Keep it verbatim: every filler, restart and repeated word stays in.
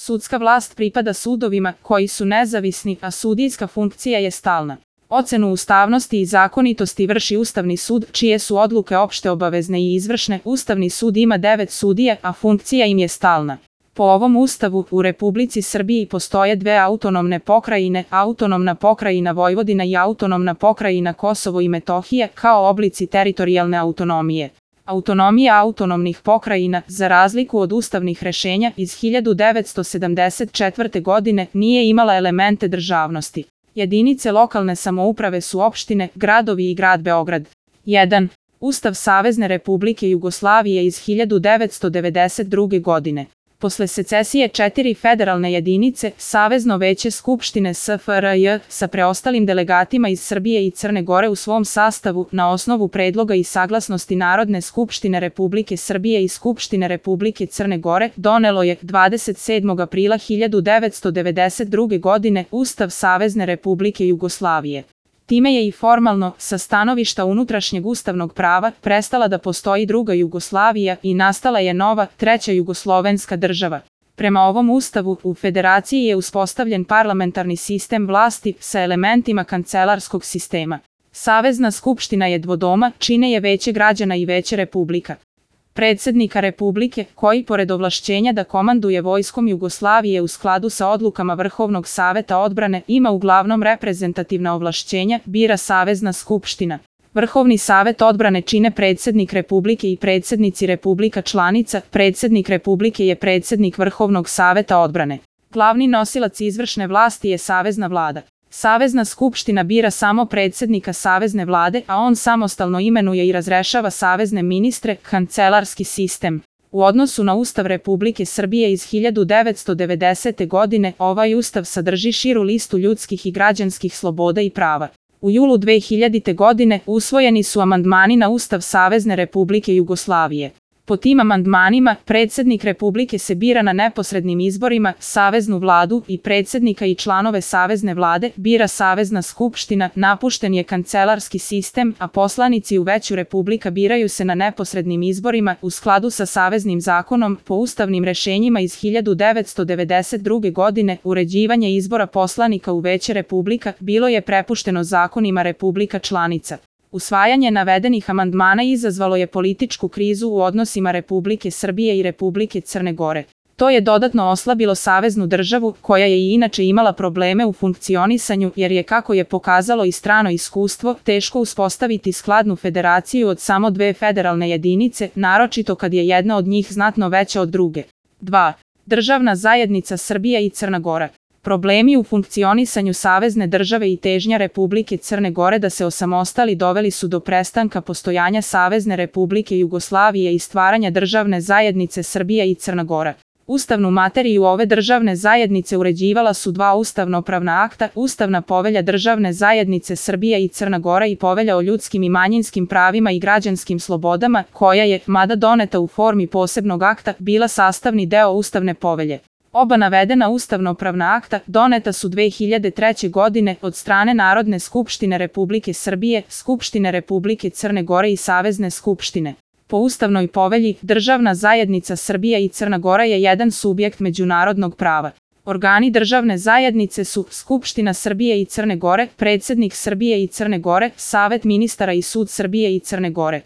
Sudska vlast pripada sudovima koji su nezavisni, a sudijska funkcija je stalna. Ocenu ustavnosti i zakonitosti vrši Ustavni sud, čije su odluke opšte obavezne i izvršne. Ustavni sud ima devet sudija, a funkcija im je stalna. Po ovom Ustavu, u Republici Srbiji postoje dve autonomne pokrajine, autonomna pokrajina Vojvodina i autonomna pokrajina Kosovo i Metohija, kao oblici teritorijalne autonomije. Autonomija autonomnih pokrajina, za razliku od ustavnih rešenja iz hiljadu devetsto sedamdeset četvrte. godine, nije imala elemente državnosti. Jedinice lokalne samouprave su opštine, gradovi i grad Beograd. jedan. Ustav Savezne Republike Jugoslavije iz hiljadu devetsto devedeset druge. godine. Posle secesije četiri federalne jedinice, Savezno veće Skupštine S F R J sa preostalim delegatima iz Srbije i Crne Gore u svom sastavu, na osnovu predloga i saglasnosti Narodne skupštine Republike Srbije i Skupštine Republike Crne Gore, donelo je dvadeset sedmog aprila hiljadu devetsto devedeset druge. godine Ustav Savezne Republike Jugoslavije. Time je i formalno, sa stanovišta unutrašnjeg ustavnog prava, prestala da postoji druga Jugoslavija i nastala je nova, treća jugoslovenska država. Prema ovom ustavu, u federaciji je uspostavljen parlamentarni sistem vlasti sa elementima kancelarskog sistema. Savezna skupština je dvodoma, čine je Veće građana i Veće republika. Predsednika Republike, koji pored ovlašćenja da komanduje vojskom Jugoslavije u skladu sa odlukama Vrhovnog saveta odbrane, ima uglavnom reprezentativna ovlašćenja, bira Savezna skupština. Vrhovni savet odbrane čine predsednik Republike i predsednici republika članica. Predsednik Republike je predsednik Vrhovnog saveta odbrane. Glavni nosilac izvršne vlasti je Savezna vlada. Savezna skupština bira samo predsednika Savezne vlade, a on samostalno imenuje i razrešava savezne ministre, kancelarski sistem. U odnosu na Ustav Republike Srbije iz hiljadu devetsto devedesete. godine, ovaj ustav sadrži širu listu ljudskih i građanskih sloboda i prava. U julu dve hiljadite. godine usvojeni su amandmani na Ustav Savezne Republike Jugoslavije. Po tim amandmanima, predsednik Republike se bira na neposrednim izborima, Saveznu vladu i predsednika i članove Savezne vlade bira Savezna skupština, napušten je kancelarski sistem, a poslanici u Veću Republika biraju se na neposrednim izborima u skladu sa Saveznim zakonom. Po ustavnim rešenjima iz hiljadu devetsto devedeset druge. godine uređivanje izbora poslanika u Veće Republika bilo je prepušteno zakonima republika članica. Usvajanje navedenih amandmana izazvalo je političku krizu u odnosima Republike Srbije i Republike Crne Gore. To je dodatno oslabilo saveznu državu, koja je i inače imala probleme u funkcionisanju, jer je, kako je pokazalo i strano iskustvo, teško uspostaviti skladnu federaciju od samo dve federalne jedinice, naročito kad je jedna od njih znatno veća od druge. dva. Državna zajednica Srbija i Crna Gora. Problemi u funkcionisanju savezne države i težnja Republike Crne Gore da se osamostali doveli su do prestanka postojanja Savezne Republike Jugoslavije i stvaranja državne zajednice Srbija i Crna Gora. Ustavnu materiju ove državne zajednice uređivala su dva ustavnopravna akta, Ustavna povelja državne zajednice Srbija i Crna Gora i Povelja o ljudskim i manjinskim pravima i građanskim slobodama, koja je, mada doneta u formi posebnog akta, bila sastavni deo Ustavne povelje. Oba navedena ustavnopravna akta doneta su dve hiljade treće. godine od strane Narodne skupštine Republike Srbije, Skupštine Republike Crne Gore i Savezne skupštine. Po Ustavnoj povelji, državna zajednica Srbija i Crna Gora je jedan subjekt međunarodnog prava. Organi državne zajednice su Skupština Srbije i Crne Gore, Predsednik Srbije i Crne Gore, Savet ministara i Sud Srbije i Crne Gore.